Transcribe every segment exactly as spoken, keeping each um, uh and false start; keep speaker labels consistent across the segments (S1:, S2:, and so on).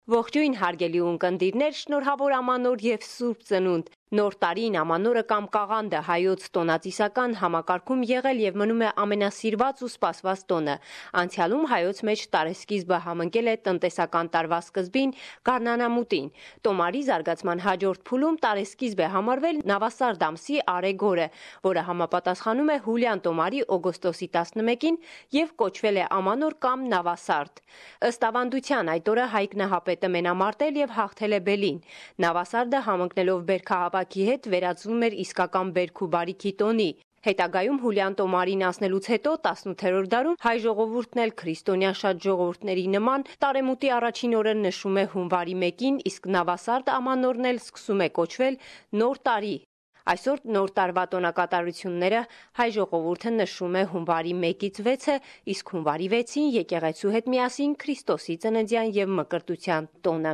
S1: Ողջույն հարգելի ունկնդիրներ, շնորհավոր ամանոր եւ Սուրբ Ծնունդ։ Նոր տարին ամանորը կամ կաղանդը հայոց տոնածիսական համակարգում եղել եւ մնում է ամենասիրված ու սպասված տոնը։ Անցյալում հայոց մեջ տարեսկիզբը համընկել է տնտեսական տարվա սկզբին գարնանամուտին։ Տոմարի զարգացման հաջորդ փուլում տարեսկիզբ է համարվել Նավասարդ ամսի Արեգ օրը, որը համապատասխանում է հուլյան տոմարի օգոստոսի տասնմեկին եւ կոչվել է ամանոր կամ Նավասարդ։ Ըստ ավանդության այդ օրը Հայկ Նահապետը մենամարտել եւ հաղթել է բելին։ Նավասարդը համընկնելով բերքահավաքի հետ վերածվում էր իսկական բերք ու բարիքի տոնի։ Հետագայում հուլյան տոմարին անցնելուց հետո տասնութերորդ դարում հայ ժողովուրդն էլ քրիստոնյա շատ ժողովուրդների նման տարեմուտի առաջին օրը նշում է հունվարի մեկին, իսկ Նավասարդ ամանորն էլ սկսում է կոչվել Նոր տարի։ Այսօր նոր տարվա տոնակատարությունները հայ ժողովուրդը նշում է հունվարի մեկից վեցը, իսկ հունվարի վեցին եկեղեցու հետ միասին Քրիստոսի ծննդյան եւ մկրտության տոնը։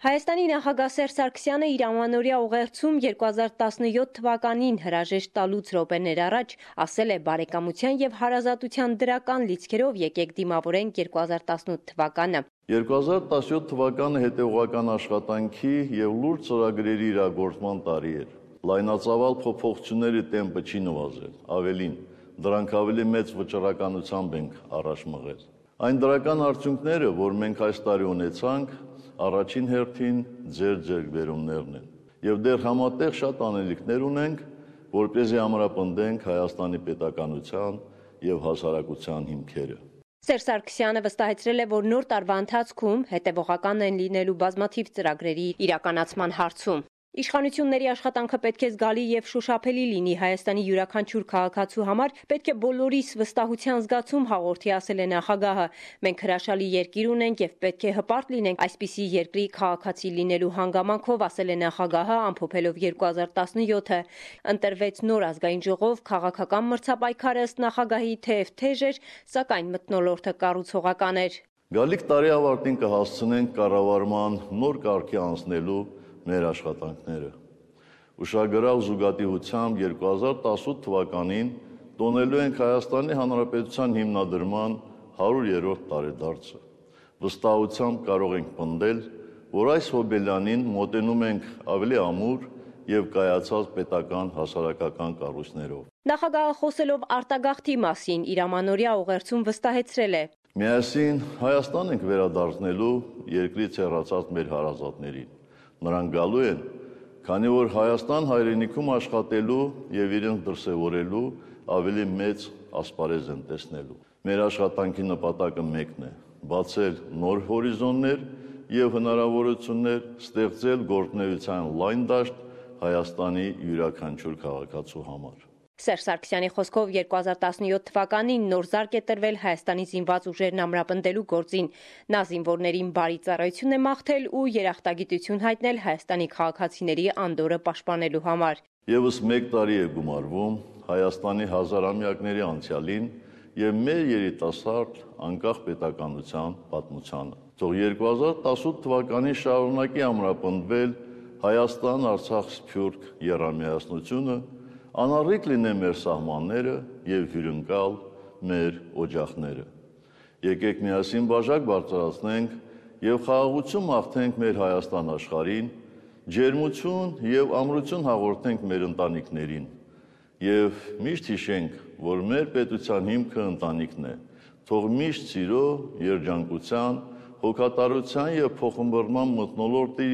S1: Հայաստանի նախագահ Սերժ Սարգսյանը իր ամանորյա ուղերձում երկու հազար տասնյոթ թվականին հրաժեշտ տալուց րոպեներ առաջ ասել է բարեկամության եւ հարազատության դրական լիցքերով եկեք դիմավորենք երկու հազար տասնութ թվականը։
S2: երկու հազար տասնյոթ թվականը հետևողական աշխատանքի եւ լուրջ ծրագրերի իրագործման տարի էր։ Լայնածավալ փոփոխությունների տեմպը չի նվազել, ավելին, դրանք ավելի մեծ վճռականությամբ ենք առաջ մղել։ Այն դրական արդյունքները, որ մենք այս տարի ունեցանք, առաջին հերթին ձեր ձեռքբերումներն են։ Եվ դեռ համատեղ շատ անելիքներ ունենք, որպեսզի ամրապնդենք Հայաստանի պետականության եւ հասարակության հիմքերը։
S1: Սերժ Սարգսյանը վստահեցրել է, որ նոր տարվա ընթացքում հետևողական են լինելու բազմաթիվ ծրագրերի իրականացման հարցում։ Իշխանությունների աշխատանքը պետք է զգալի եւ շոշափելի լինի Հայաստանի յուրաքանչյուր քաղաքացու համար, պետք է բոլորիս վստահության զգացում հաղորդի, ասել է նախագահը։ Մենք հրաշալի երկիր ունենք եւ պետք է հպարտ լինենք այսպիսի երկրի քաղաքացի լինելու հանգամանքով, ասել է նախագահը, ամփոփելով երկու հազար տասնյոթը։ Ընտրվեց նոր ազգային ժողով, քաղաքական մրցապայքարը ըստ նախագահի թեև թեժ էր, սակայն մթնոլորտը կառուցողական էր։
S2: Գալիք տարի ավարտին կհասցնենք կառավարման նոր կարգի անցնելու մեր աշխատանքները։ Ուշագրավ զուգադիպությամբ երկու հազար տասնութ թվականին տոնելու ենք Հայաստանի Հանրապետության հիմնադրման հարյուրերորդ տարեդարձը։ Վստահությամբ կարող ենք պնդել, որ այս հոբելյանին մոտենում ենք ավելի ամուր եւ կայացած պետական հասարակական կառույցներով։
S1: Նախագահը խոսելով արտագաղթի մասին իր ամանորյա ուղերձում վստահեցրել է.
S2: Միասին Հայաստան ենք վերադարձնելու երկրից հեռացած մեր հարազատներին։ Նրանք գալու են, քանի որ Հայաստան հայրենիքում աշխատելու եւ իրենց դրսեւորելու ավելի մեծ ասպարեզ են տեսնելու։ Մեր աշխատանքի նպատակը մեկն է՝ բացել նոր հորիզոններ եւ հնարավորություններ, ստեղծել գործունեության լայն դաշտ Հայաստանի յուրաքանչյուր քաղաքացու համար։
S1: Սերժ Սարգսյանի խոսքով երկու հազար տասնյոթ թվականին նոր զարկ է տրվել Հայաստանի զինված ուժերն ամրապնդելու գործին։ Նա զինվորներին բարի ծառայություն է մաղթել ու երախտագիտություն հայտնել Հայաստանի քաղաքացիների անդորրը պաշտպանելու համար։
S2: Եվս մեկ տարի է գումարվում Հայաստանի հազարամյակների անցյալին եւ մեր երիտասարդ անկախ պետականության պատմությանը։ Թող երկու հազար տասնութ թվականին շարունակի ամրապնդվել Հայաստան-Արցախ-Սփյուռք եռամիասնությունը, անառիկ լինեն մեր սահմանները եւ հյուրընկալ մեր օջախները։ Եկեք միասին բաժակ բարձրացնենք եւ խաղաղություն մաղթենք մեր Հայաստան աշխարհին, ջերմություն եւ ամրություն հաղորդենք մեր ընտանիքներին եւ միշտ հիշենք, որ մեր պետության հիմքը ընտանիքն է։ Թող միշտ սիրո, երջանկության, հոգատարության եւ փոխմբռնման մթնոլորտի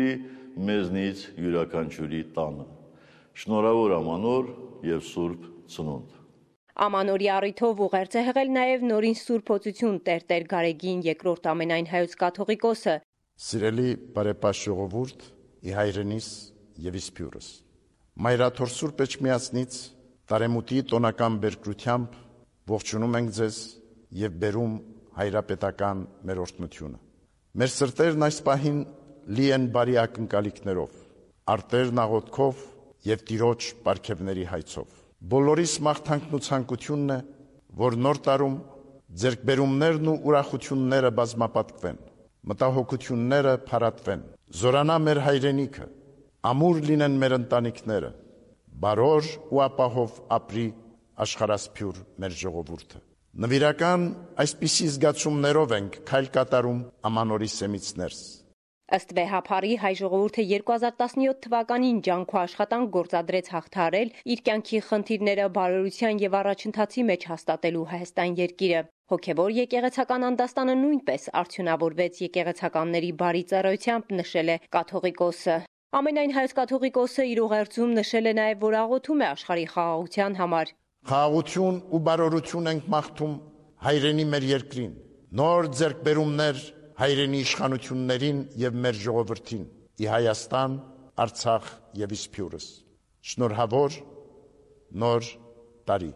S2: մեզնից յուրաքանչյուրի տանը։ Շնորհավոր ամանոր եւ Սուրբ Ծնունդ։
S1: Ամանորի առիթով ուղերձ է հղել նաև նորին Սուրբ Օծություն Տեր-Տեր Գարեգին երկրորդ ամենայն հայոց կաթողիկոսը։
S3: Սիրելի բարեպաշտ ժողովուրդ, ի հայրենիս եւ իսպյուրս։ Մայրաթոր Սուրբ Էջմիածնից տարեմուտի տոնական բերկրությամբ ողջունում ենք ձեզ եւ բերում հայրապետական մեր օրհնությունը։ Մեր սրտերն այս պահին լի են բարի ակնկալիքներով, արտերն աղոթքով եւ Տիրոջ պարգևների հայցով։ Բոլորիս մաղթանքն ու ցանկությունն է, որ նոր տարում ձեռքբերումներն ու ուրախությունները բազմապատկվեն, մտահոգությունները փարատվեն, զորանա մեր հայրենիքը, ամուր լինեն մեր ընտանիքները, բարոր ու ապահով ապրի աշխարհասփյուր մեր ժողովուրդը։ Նվիրական այսպիսի զգացումներով ենք քայլ կատարում ամանորի սեմից ներս։
S1: Ըստ վեհափառի հայ ժողովուրդը երկու հազար տասնյոթ թվականին ջանք ու աշխատանք գործադրեց հաղթահարել իր կյանքի խնդիրները բարօրության եւ առաջընթացի մեջ հաստատելու Հայաստան երկիրը։ Հոգևոր եկեղեցական անդաստանը նույնպես արդյունավորվեց եկեղեցականների բարի ծառայությամբ, նշել է կաթողիկոսը։ Ամենայն հայոց կաթողիկոսը իր ուղերձում նշել է նաև, որ աղոթում է աշխարհի խաղաղության համար։
S3: Խաղաղություն ու բարօրություն ենք մաղթում հայրենի մեր երկրին, նոր ձեռքբերումներ հայրենի իշխանություններին եւ մեր ժողովրդին՝ ի Հայաստան, Արցախ եւ Իսպյուրս։ Շնորհավոր նոր տարի։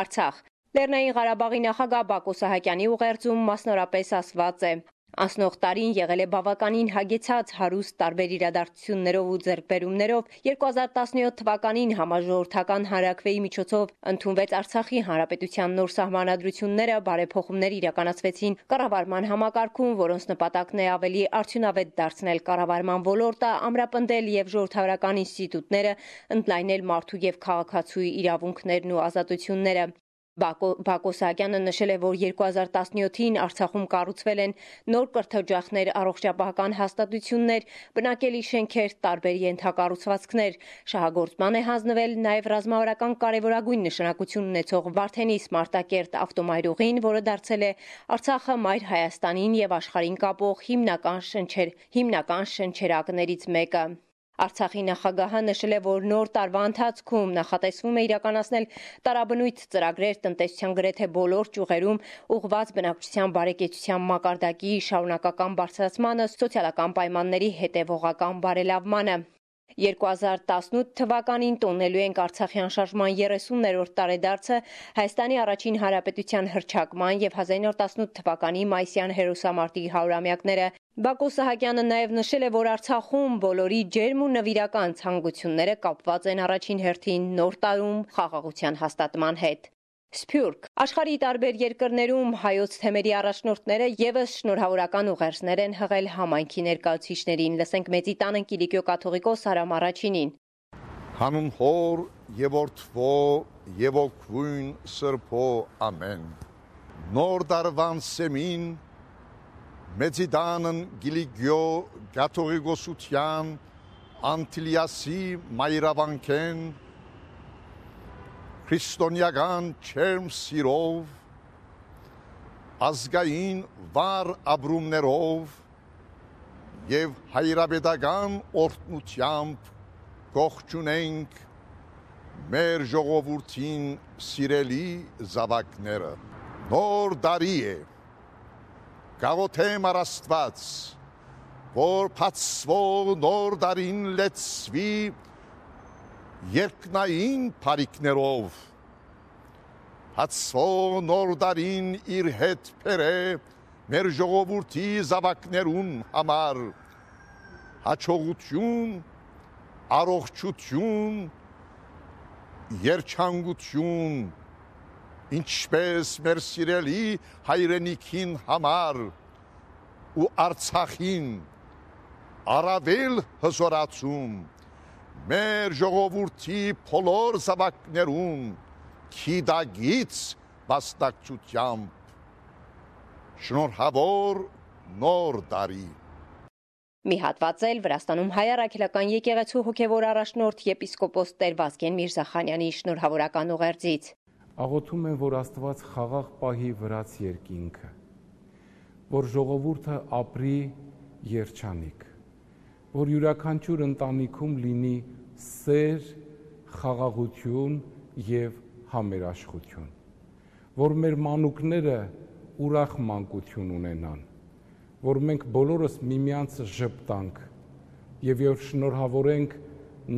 S1: Արցախ Լեռնային Ղարաբաղի նախագահ Բակո Սահակյանի ուղերձում մասնորապես ասված է. Անցնող տարին եղել է բավականին հագեցած, հարուստ տարբեր իրադարձություններով ու ձեռքբերումներով։ երկու հազար տասնյոթ թվականին համաժողովրդական հանրաքվեի միջոցով ընդունվեց Արցախի Հանրապետության նոր սահմանադրությունները, բարեփոխումներ իրականացվեցին կառավարման համակարգում, որոնց նպատակն է ավելի արդյունավետ դարձնել կառավարման ոլորտը, ամրապնդել եւ ժողովրդավարական ինստիտուտները, ընդլայնել մարդու եւ քաղաքացուի իրավունքներն ու ազատությունները։ Բակո Սահակյանը նշել է, որ երկու հազար տասնյոթին Արցախում կառուցվել են նոր կրթօջախներ, առողջապահական հաստատություններ, բնակելի շենքեր, տարբեր ենթակառուցվածքներ։ Շահագործման է հանձնվել նաև ռազմավարական կարևորագույն նշանակություն ունեցող Վարդենիս Մարտակերտ ավտոմայրուղին, որը դարձել է Արցախը մայր Հայաստանին եւ աշխարհին կապող հիմնական շնչեր, հիմնական շնչերակներից մեկը։ Արցախի նախագահը նշել է, որ նոր տարվա ընթացքում նախատեսվում է իրականացնել տարաբնույթ ծրագրեր տնտեսության գրեթե բոլոր ճյուղերում, ուղղված բնակչության բարեկեցության մակարդակի շարունակական բարձրացմանը, սոցիալական պայմանների հետևողական բարելավմանը։ երկու հազար տասնութ թվականին տոնելու ենք Արցախյան շարժման երեսուններորդ տարեդարձը, Հայաստանի առաջին հանրապետության հռչակման եւ հազար իննսուն տասնութ թվականի մայիսյան հերոսամարտի հարյուրամյակները։ Բակո Սահակյանը նաև նշել է, որ Արցախում բոլորի ջերմ ու նվիրական ցանկությունները կապված են առաջին հերթին նոր տարում խաղաղության հաստատման հետ։ Սփյուռք Աշխարհի տարբեր երկրներում հայոց թեմերի առաջնորդները եւս շնորհավորական ուղերձներ են հղել համայնքի ներկայացուցիչներին։ Լսենք Մեծի տանը Կիլիկիո կաթողիկոս Արամ Առաջինին։
S4: Հանուն Հոր եւ Որդվո եւ Օգնույն Սրբո ամեն։ Նոր դարվան սեմին Մեծի տանն Կիլիկիո կաթողիկոսության Անտիլիասի մայրավանքեն քրիստոնեական չերմ սիրով, ազգային վառ ապրումներով եւ հայրապետական օրհնությամբ կողջունենք մեր ժողովրդին սիրելի զավակները։ Նոր տարի է, գաղութեմ Աստված, որ բացվող նոր տարին լեցվի երկնային բարիքներով, բացվող նոր տարին իր հետ բերե մեր ժողովրդի զավակներուն համար հաջողություն, առողջություն, երջանկություն, ինչպես մեր սիրելի հայրենիքին համար ու Արցախին առավել հզորացում մեր ժողովրդի բոլոր զավակներուն քիդագից վաստակցությամբ շնորհավոր նոր տարի։
S1: Մի հատված էլ Վրաստանում հայ առաքելական եկեղեցու հոգևոր առաջնորդ եպիսկոպոս Տեր Վազգեն Միրզախանյանի շնորհավորական ուղերձից։
S5: Աղոթում եմ, որ Աստված խաղաղ պահի վրաց երկինքը, որ ժողովուրդը ապրի երջանիկ, որ յուրաքանչյուր ընտանիքում լինի սեր, խաղաղություն եւ համերաշխություն, որ մեր մանուկները ուրախ մանկություն ունենան, որ մենք բոլորս միմյանց ժպտանք եւ եւ շնորհավորենք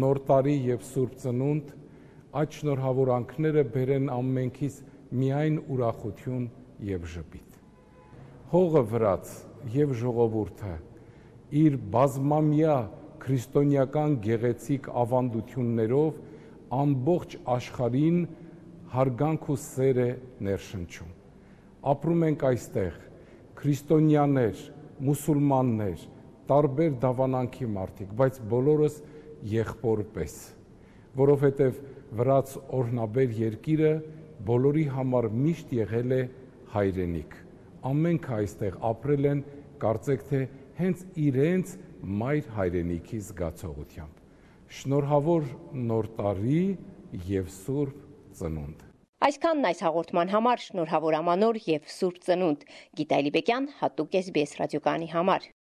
S5: նոր տարի եւ Սուրբ Ծնունդ, այդ շնորհավորանքները բերեն ամենքից միայն ուրախություն եւ ժպիտ։ Հողը վրաց եւ ժողովուրդը իր բազմամյա քրիստոնեական գեղեցիկ ավանդություններով ամբողջ աշխարհին հարգանք ու սեր է ներշնչում։ Ապրում ենք այստեղ քրիստոնյաներ, մուսուլմաններ, տարբեր դավանանքի մարդիկ, բայց բոլորս եղբոր պես, որովհետև վրաց օրհնաբեր երկիրը բոլորի համար միշտ եղել է հայրենիք։ Ամենքը այստեղ ապրել են, կարծեք թե հենց իրենց մայր հայրենիքի զգացողությամբ։ Շնորհավոր նոր տարի եւ Սուրբ Ծնունդ։
S1: Այսքանն այս հաղորդման համար, շնորհավոր Ամանոր եւ Սուրբ Ծնունդ։ Գիտալի Բեկյան, հատուկ էս բի էս ռադիոկայանի համար։